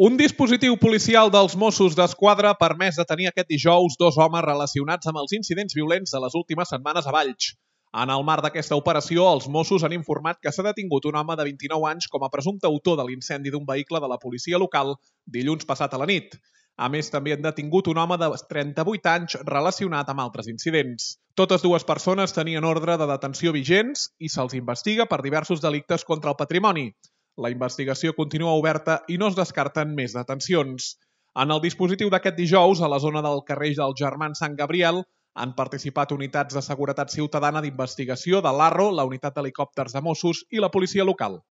Un dispositiu policial dels Mossos d'Esquadra ha permès detenir aquest dijous 2 homes relacionats amb els incidents violents de les últimes setmanes a Valls. En el marc d'aquesta operació, els Mossos han informat que s'ha detingut un home de 29 anys com a presumpte autor de l'incendi d'un vehicle de la policia local dilluns passat a la nit. A més, també han detingut un home de 38 anys relacionat amb altres incidents. Totes dues persones tenien ordre de detenció vigents i se'ls investiga per diversos delictes contra el patrimoni. La investigació continua oberta i no es descarten més detencions. En el dispositiu d'aquest dijous, a la zona del carrer dels Germans Sant Gabriel, han participat unitats de seguretat ciutadana d'investigació de l'Arro, la unitat d'helicòpters de Mossos i la policia local.